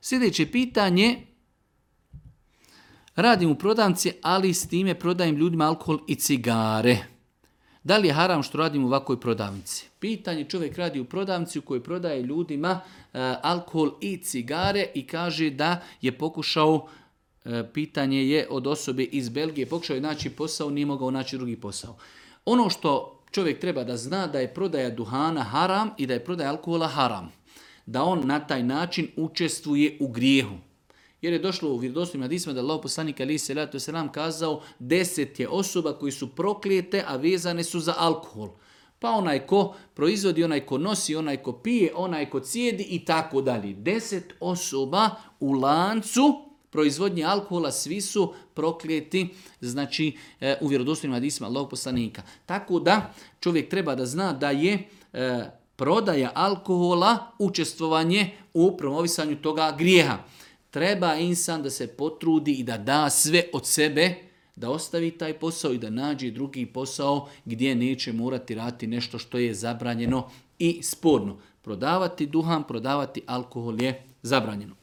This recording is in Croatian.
Sljedeće pitanje. Radim u prodavnici, ali s time prodajem ljudima alkohol i cigare. Da li je haram što radim u ovakvoj prodavnici? Pitanje, čovjek radi u prodavnici u kojoj prodaje ljudima alkohol i cigare i kaže da je pokušao, pitanje je od osobe iz Belgije, pokušao je naći posao, nije mogao naći drugi posao. Ono što čovjek treba da zna da je prodaja duhana haram i da je prodaja alkohola haram. Da on na taj način učestvuje u grijehu. Jer je došlo u vjerodostojnim hadisima da Allahov poslanik alejhi selatu vesselam kazao 10 je osoba koji su proklijete, a vezane su za alkohol. Pa onaj ko proizvodi, onaj ko nosi, onaj ko pije, onaj ko cijedi i tako dalje. 10 osoba u lancu proizvodnje alkohola, svi su proklijeti, znači u vjerodostojnim hadisima Allahov poslanika. Tako da čovjek treba da zna da je prodaja alkohola učestvovanje u promovisanju toga grijeha. Treba insan da se potrudi i da da sve od sebe, da ostavi taj posao i da nađe drugi posao gdje neće morati raditi nešto što je zabranjeno i sporno. Prodavati duhan, prodavati alkohol je zabranjeno.